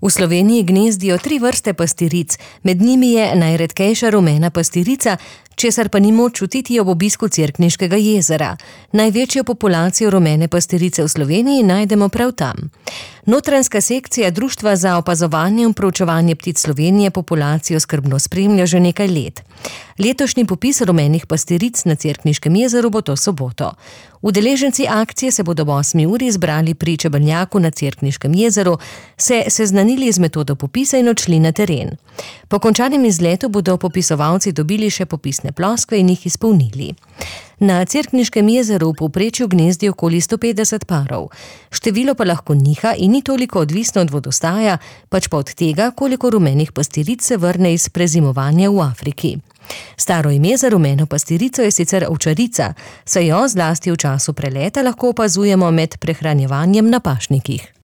V Sloveniji gnezdijo 3 vrste pastiric, med njimi je najredkejša rumena pastirica, česar pa ni moč čutiti ob obisku Cerkniškega jezera. Največjo populacijo rumene pastirice v Sloveniji najdemo prav tam. Notranjska sekcija Društva za opazovanje in proučevanje ptic Slovenije populacijo skrbno spremlja že nekaj let. Letošnji popis rumenih pastiric na Cerkniškem jezeru bo to soboto. Udeleženci akcije se bodo ob 8. uri zbrali pri Čebelnjaku na Cerkniškem jezeru, se seznanili z metodo popisa in odšli na teren. Po končanem izletu bodo popisovalci dobili še popisne ploskve in jih izpolnili. Na Cerkniškem jezeru v povprečju gnezdi okoli 150 parov. Število pa lahko niha in ni toliko odvisno od vodostaja, pač pa od tega, koliko rumenih pastiric se vrne iz prezimovanja v Afriki. Staro ime za rumeno pastirico je sicer ovčarica, saj jo zlasti v času preleta lahko opazujemo med prehranjevanjem na pašnikih.